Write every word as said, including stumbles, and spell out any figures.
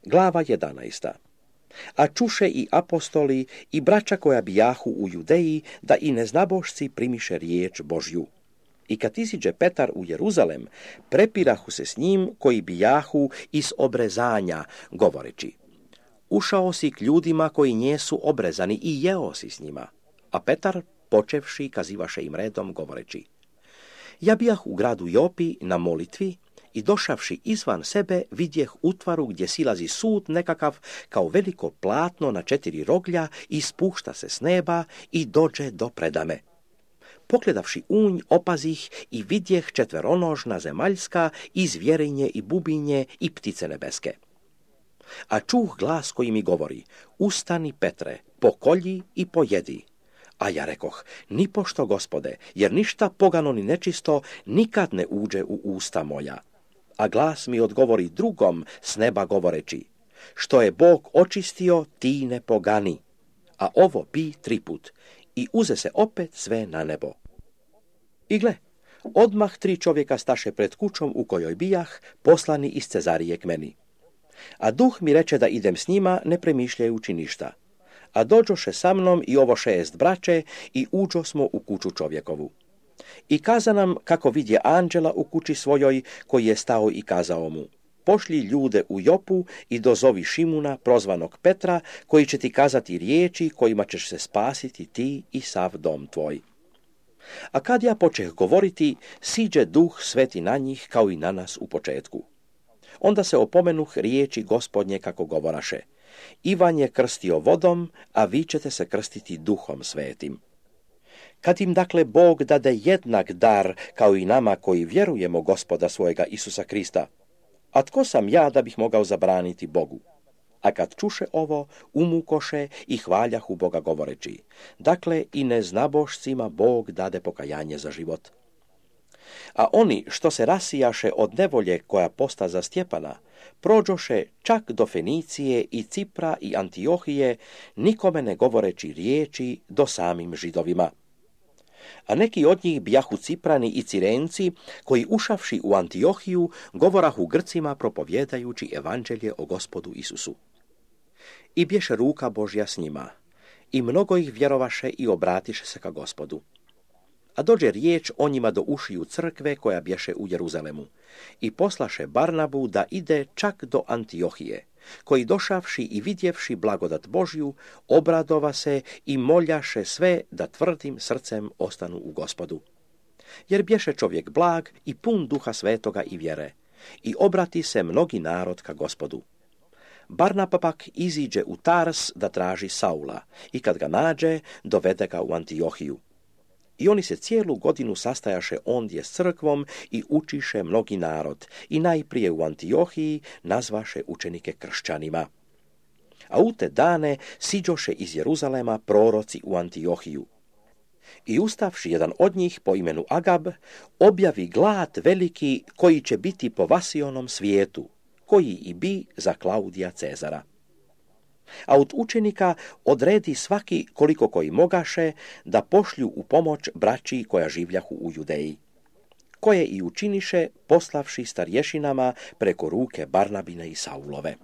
Glava jedanaesta. A čuše i apostoli i braća koja bijahu u Judeji, da i neznabošci primiše riječ Božju. I kad iziđe Petar u Jeruzalem, prepirahu se s njim koji bijahu iz obrezanja, govoreći: Ušao si k ljudima koji njesu obrezani i jeo si s njima. A Petar, počevši, kazivaše im redom, govoreći: Ja bijah u gradu Jopi na molitvi i došavši izvan sebe vidjeh utvaru gdje silazi sud nekakav kao veliko platno na četiri roglja i spušta se s neba i dođe do predame. Pogledavši unj, opazih i vidjeh četveronožna zemaljska i zvjerinje i bubinje i ptice nebeske. A čuh glas koji mi govori: Ustani, Petre, pokolji i pojedi. A ja rekoh: Nipošto, Gospode, jer ništa pogano ni nečisto nikad ne uđe u usta moja. A glas mi odgovori drugom s neba govoreći: Što je Bog očistio, ti ne pogani. A ovo pi triput. I uze se opet sve na nebo. I gle, odmah tri čovjeka staše pred kućom u kojoj bijah, poslani iz Cezarije k meni. A duh mi reče da idem s njima, ne premišljajući ništa. A dođoše sa mnom i ovo šest braće i uđo smo u kuću čovjekovu. I kaza nam kako vidje anđela u kući svojoj, koji je stao i kazao mu: Pošli ljude u Jopu i dozovi Šimuna, prozvanog Petra, koji će ti kazati riječi kojima ćeš se spasiti ti i sav dom tvoj. A kad ja počeh govoriti, siđe duh sveti na njih kao i na nas u početku. Onda se opomenuh riječi Gospodnje kako govoraše: Ivan je krstio vodom, a vi ćete se krstiti duhom svetim. Kad im dakle Bog dade jednak dar kao i nama koji vjerujemo Gospoda svojega Isusa Krista, a tko sam ja da bih mogao zabraniti Bogu? A kad čuše ovo, umukoše i hvaljahu Boga govoreći: Dakle, i neznabošcima Bog dade pokajanje za život. A oni što se rasijaše od nevolje koja posta za Stjepana, prođoše čak do Fenicije i Cipra i Antiohije, nikome ne govoreći riječi do samim Židovima. A neki od njih bijahu Ciprani i Cirenci, koji ušavši u Antiohiju, govorahu Grcima propovjedajući evanđelje o Gospodu Isusu. I bješe ruka Božja s njima, i mnogo ih vjerovaše i obratiše se ka Gospodu. A dođe riječ o njima do ušiju crkve koja bješe u Jeruzalemu, i poslaše Barnabu da ide čak do Antiohije, koji došavši i vidjevši blagodat Božju, obradova se i moljaše sve da tvrdim srcem ostanu u Gospodu. Jer bješe čovjek blag i pun duha svetoga i vjere, i obrati se mnogi narod ka Gospodu. Barnaba pak iziđe u Tars da traži Saula, i kad ga nađe, dovede ga u Antiohiju. I oni se cijelu godinu sastajaše ondje s crkvom i učiše mnogi narod, i najprije u Antiohiji nazvaše učenike kršćanima. A u te dane siđoše iz Jeruzalema proroci u Antiohiju. I ustavši jedan od njih po imenu Agab, objavi glad veliki koji će biti po Vasionom svijetu, koji i bi za Klaudija Cezara. A od učenika odredi svaki koliko koji mogaše da pošlju u pomoć braći koja življahu u Judeji, koje i učiniše poslavši starješinama preko ruke Barnabine i Saulove.